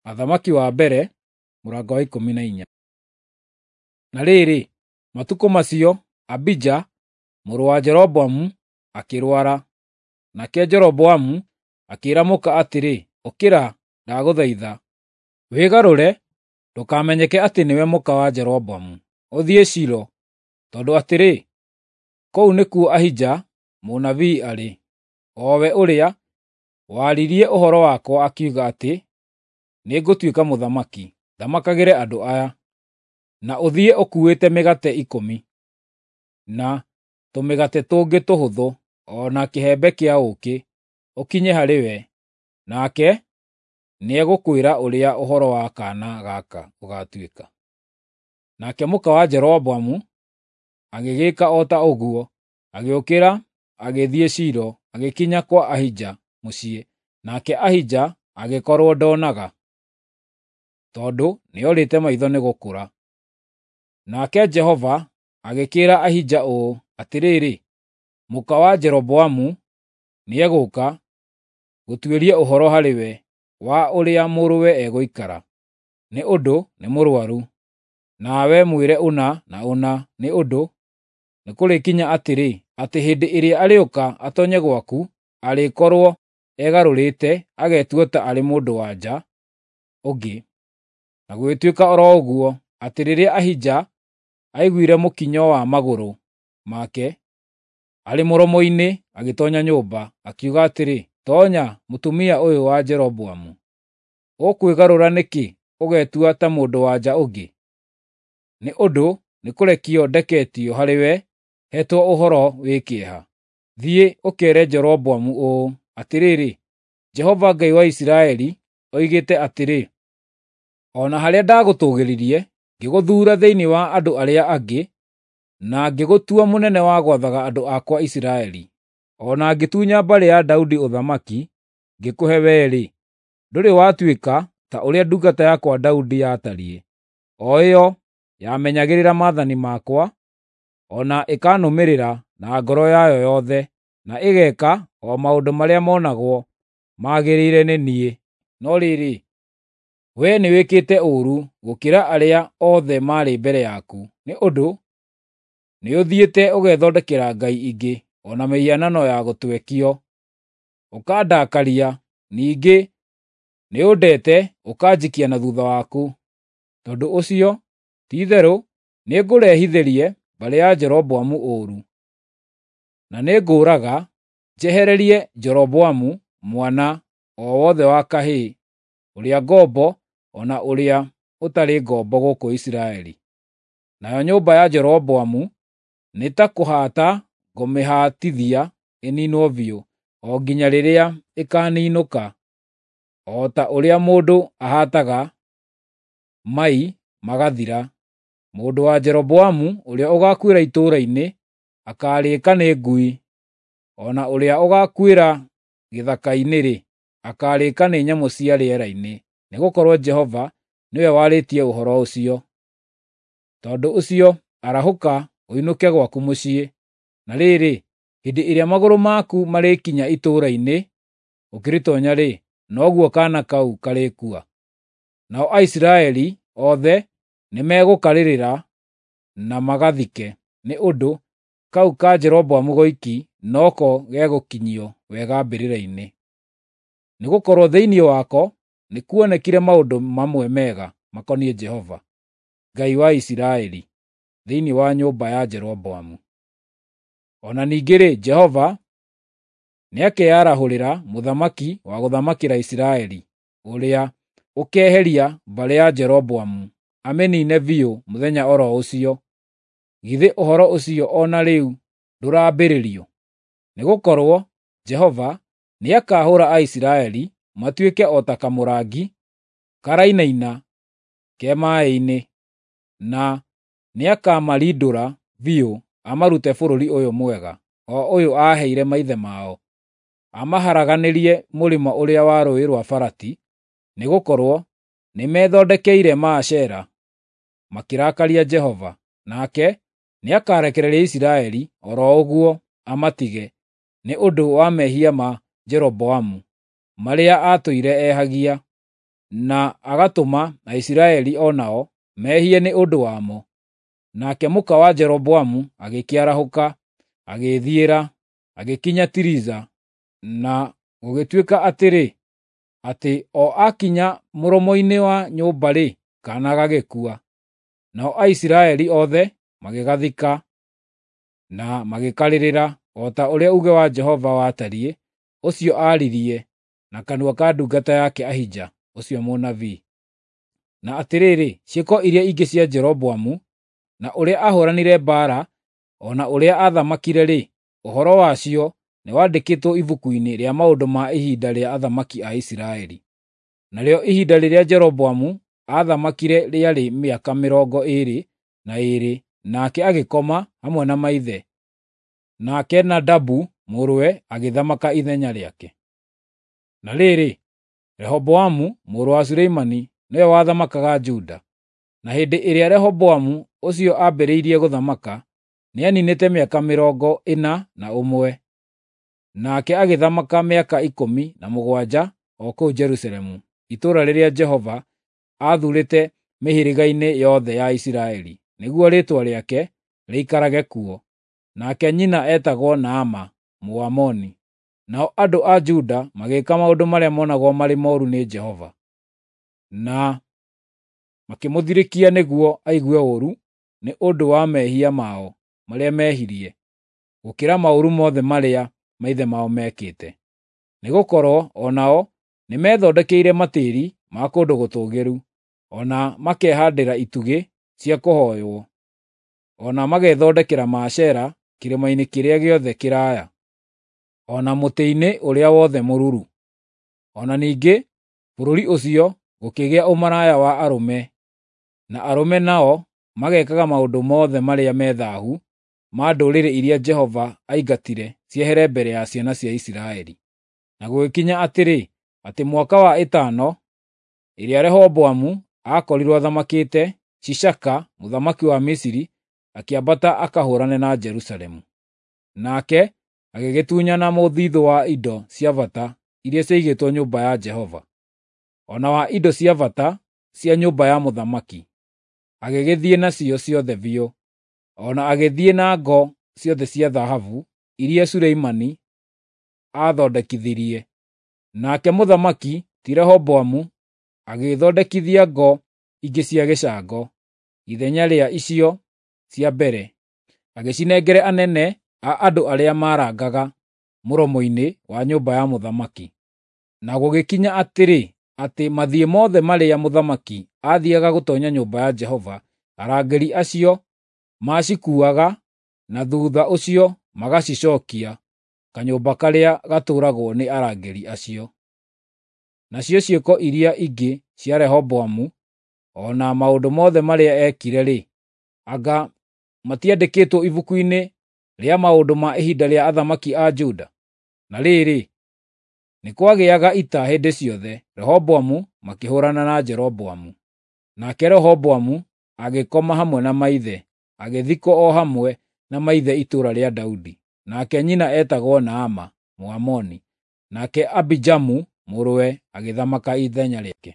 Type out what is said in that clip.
Athamaki wa mbere mũrango wa 14. Na rĩrĩ, matukũ macio Abija mũrũ wa Jeroboamu akĩrwara. Nake Jeroboamu akĩĩra mũka atĩrĩ, “Ũkĩra, ndagũthaitha, wĩgarũre ndũkamenyeke atĩ nĩwe mũka wa Jeroboamu, ũthiĩ Shilo, tondũ atĩrĩ, kũu nĩkuo Ahija mũnabii arĩ, o we ũrĩa waaririe ũhoro wakwa akiuga atĩ nĩngũtuĩka mũthamaki, thamakagĩre andũ aya. Na ũthiĩ ũkuuĩte mĩgate 10, na tũmĩgate tũngĩ tũhũthũ, o na kĩhembe kĩa ũũkĩ, ũkinye harĩ we, nake nĩegũkwĩra ũrĩa ũhoro wa kaana gaka ũgaatuĩka.” Nake mũka wa Jeroboamu agĩgĩĩka o ta ũguo, agĩũkĩra agĩthiĩ Shilo, agĩkinya kwa Ahija mũciĩ, nake Ahija agĩkorwo ndoonaga, tondũ nĩorĩte maitho nĩ gũkũra. Nake Jehova agĩkĩĩra Ahija ũũ, “Atĩrĩrĩ, mũka wa Jeroboamu nĩegũũka gũtuĩria ũhoro harĩwe wa ũrĩa mũrũwe egũikara, nĩ ũndũ nĩ mũrũaru. Nawe mwĩre ũna na ũna, nĩ ũndũ nĩkũrĩkinya atĩrĩ, atĩ hĩndĩ ĩrĩa arĩũka atoonye gwaku, arĩkorwo egarũrĩte agetua ta arĩ mũndũ-wa-nja ũngĩ.” Na gũgĩtuĩka o ro ũguo, atĩ rĩrĩa Ahija aiguire mũkinyo wa magũrũ make arĩ mũromo-inĩ agĩtoonya nyũmba, akiuga atĩrĩ, “Toonya, mũtumia ũyũ wa Jeroboamu. Ũkwĩgarũra nĩkĩ ũgetua ta mũndũ-wa-nja ũngĩ? Nĩ ũndũ nĩkũrekio ndeketio harĩwe heetwo ũhoro wĩ kĩeha. Thiĩ, ũkeere Jeroboamu ũũ, ‘Atĩrĩrĩ, Jehova Ngai wa Isiraeli oigĩte atĩrĩ: O na harĩa ndagũtũũgĩririe ngĩgũthuura thĩinĩ wa andũ arĩa angĩ, na ngĩgũtua mũnene wa gwathaga andũ akwa Isiraeli, o na ngĩtunya mbarĩ ya Daudi ũthamaki ngĩkũhe wee-rĩ, ndũrĩ watuĩka ta ũrĩa ndungata yakwa Daudi yatariĩ, o ĩyo yamenyagĩrĩra maathani makwa, o na ĩkanũmĩrĩra na ngoro yayo yothe, na ĩgeeka o maũndũ marĩa monagwo magĩrĩire nĩ niĩ. No rĩrĩ, wee nĩwĩkĩte ũũru gũkĩra arĩa othe maarĩ mbere yaku, nĩ ũndũ nĩũthiĩte ũgethondekera ngai ingĩ o na mĩhianano ya gũtwekio, ũkandakaria, ningĩ nĩũndete ũkanjikia na thuutha waku. Tondũ ũcio, ti-itherũ nĩngũrehithĩrie mbarĩ ya Jeroboamu ũũru, na nĩngũũraga njehererie Jeroboamu mwana o wothe wa kahĩĩ, ũrĩa ngombo o na ũrĩa ũtarĩ ngombo gũkũ Isiraeli. Nayo nyũmba ya Jeroboamu nĩ ta kũhaata ngũmĩhaatithia ĩniinwo biũ, o nginya rĩrĩa ĩkaaniinũka, o ta ũrĩa mũndũ ahaataga mai magathira. Mũndũ wa Jeroboamu ũrĩa ũgaakuĩra itũũra-inĩ akaarĩĩka nĩ ngui, o na ũrĩa ũgaakuĩra gĩthaka-inĩ-rĩ, akaarĩĩka nĩ nyamũ cia rĩera-inĩ, nĩgũkorwo Jehova nĩwe warĩtie ũhoro ũcio. Tondũ ũcio arahũka ũinũke gwaku mũciĩ. Na rĩrĩ, hĩndĩ ĩrĩa magũrũ maku marĩkinya itũũra-inĩ ũkĩrĩtoonya-rĩ, noguo kaana kau karĩkua. Nao Aisiraeli othe nĩmegũkarĩrĩra na magathike, nĩ ũndũ kau ka Jeroboamu goiki noko gegũkinyio wega mbĩrĩra-inĩ. Nĩgũkorwo thĩinĩ wako nĩkuonekire maũndũ mamwe mega makoniĩ Jehova, Ngai wa Isiraeli, thĩinĩ wa nyũmba ya Jeroboamu. O na ningĩ-rĩ, Jehova nĩakeyarahũrĩra mũthamaki wa gũthamakĩra Isiraeli, ũrĩa ũkeeheria mbarĩ ya Jeroboamu, amĩniine biũ mũthenya o ro ũcio. Githĩ ũhoro ũcio o na rĩu ndũrambĩrĩrio? Nĩgũkorwo Jehova nĩakahũũra Aisiraeli matuĩke o ta kamũrangi karainaina ke maaĩ-inĩ, na nĩakamarindũra biũ amarute bũrũri ũyũ mwega, o ũyũ aaheire maithe mao, amaharaganĩrie mũrĩmo ũrĩa wa Rũũĩ rwa Farati, nĩgũkorwo nĩmethondekeire Maashera, makĩrakaria Jehova. Nake nĩakarekereria Isiraeli o ro ũguo amatige, nĩ ũndũ wa mehia ma Jeroboamu, marĩa aatũire ehagia.” na agatũma Aisiraeli o nao mehie nĩ ũndũ wamo. Nake mũka wa Jeroboamu agĩkĩarahũka, agĩĩthiĩra, agĩkinya Tiriza, na gũgĩtuĩka atĩrĩ, atĩ o aakinya mũromo-inĩ wa nyũmba-rĩ, kaana gagĩkua. Nao Aisiraeli othe magĩgathika na magĩkarĩrĩra, o ta ũrĩa uuge wa Jehova watariĩ, ũcio aaririe na kanua ka ndungata yake Ahija ũcio mũnabii. Na atĩrĩrĩ, ciĩko iria ingĩ cia Jeroboamu, na ũrĩa aahũũranire mbaara, o na ũrĩa aathamakire-rĩ, ũhoro wacio nĩwandĩkĩtwo ibuku-inĩ rĩa maũndũ ma ihinda rĩa athamaki a Isiraeli. Narĩo ihinda rĩrĩa Jeroboamu aathamakire rĩarĩ mĩaka 22, nake agĩkoma hamwe na maithe. Nake Nadabu mũrũwe agĩthamaka ithenya rĩake. Na rĩrĩ, Rehoboamu mũrũ wa Suleimani nĩwe wathamakaga Juda. Na hĩndĩ ĩrĩa Rehoboamu ũcio aambĩrĩirie gũthamaka, nĩaniinĩte mĩaka 41, nake agĩthamaka mĩaka 17 o kũu Jerusalemu, itũũra rĩrĩa Jehova aathuurĩte mĩhĩrĩga-inĩ yothe ya Isiraeli, nĩguo Rĩĩtwa rĩake rĩikarage kuo. Nake nyina eetagwo Naama Mũamoni. Nao andũ a Juda magĩĩka maũndũ marĩa monagwo marĩ mooru nĩ Jehova, na makĩmũthirĩkia nĩguo aigue ũũru nĩ ũndũ wa mehia mao marĩa meehirie, gũkĩra maũru mothe marĩa maithe mao meekĩte. Nĩgũkorwo o nao nĩmethondekeire matĩĩri ma kũndũ gũtũũgĩru, o na makehaandĩra itugĩ cia kũhooywo, o na magethondekera Maashera kĩrĩma-inĩ kĩrĩa gĩothe kĩraaya, o na mũtĩ-inĩ ũrĩa wothe mũruru. O na ningĩ bũrũri ũcio gũkĩgĩa ũmaraya wa arũme, na arũme nao magekaga maũndũ mothe marĩa me thaahu ma ndũrĩrĩ iria Jehova aingatire ciehere mbere ya ciana cia Isiraeli. Na gũgĩkinya atĩrĩ, atĩ mwaka wa ĩtano ĩrĩa Rehoboamu aakorirwo athamakĩte, Shishaka mũthamaki wa Misiri akĩambata akahũũrane na Jerusalemu. Nake agĩgĩtunyana mũthithũ wa indo cia bata iria ciaigĩtwo nyũmba ya Jehova, o na wa indo cia bata cia nyũmba ya mũthamaki, agĩgĩthiĩ nacio ciothe biũ, o na agĩthiĩ na ngo ciothe cia thahabu iria Suleimani aathondekithirie. Nake mũthamaki ti Rehoboamu agĩĩthondekithia ngo ingĩ cia gĩcango ithenya rĩa icio cia mbere, agĩcinengera anene a andũ arĩa maarangaga mũromo-inĩ wa nyũmba ya mũthamaki. Na gũgĩkinya atĩrĩ, atĩ mathiĩ mothe marĩa mũthamaki aathiiaga gũtoonya nyũmba ya Jehova, arangĩri acio maacikuuaga na thuutha ũcio magacicookia kanyũmba karĩa gatũũragwo nĩ arangĩri acio. Nacio ciĩko iria ingĩ cia Rehoboamu, o na maũndũ mothe marĩa eekire-rĩ, anga matiandĩkĩtwo ibuku-inĩ rĩa maũndũ ma ihinda rĩa athamaki a Juda? Na rĩrĩ, nĩ kwagĩaga ita hĩndĩ ciothe, Rehoboamu makĩhũũrana na Jeroboamu. Nake Rehoboamu agĩkoma hamwe na maithe, agĩthikwo o hamwe na maithe itũũra rĩa Daudi. Nake nyina eetagwo Naama Mũamoni. Nake Abijamu mũrũwe agĩthamaka ithenya rĩake.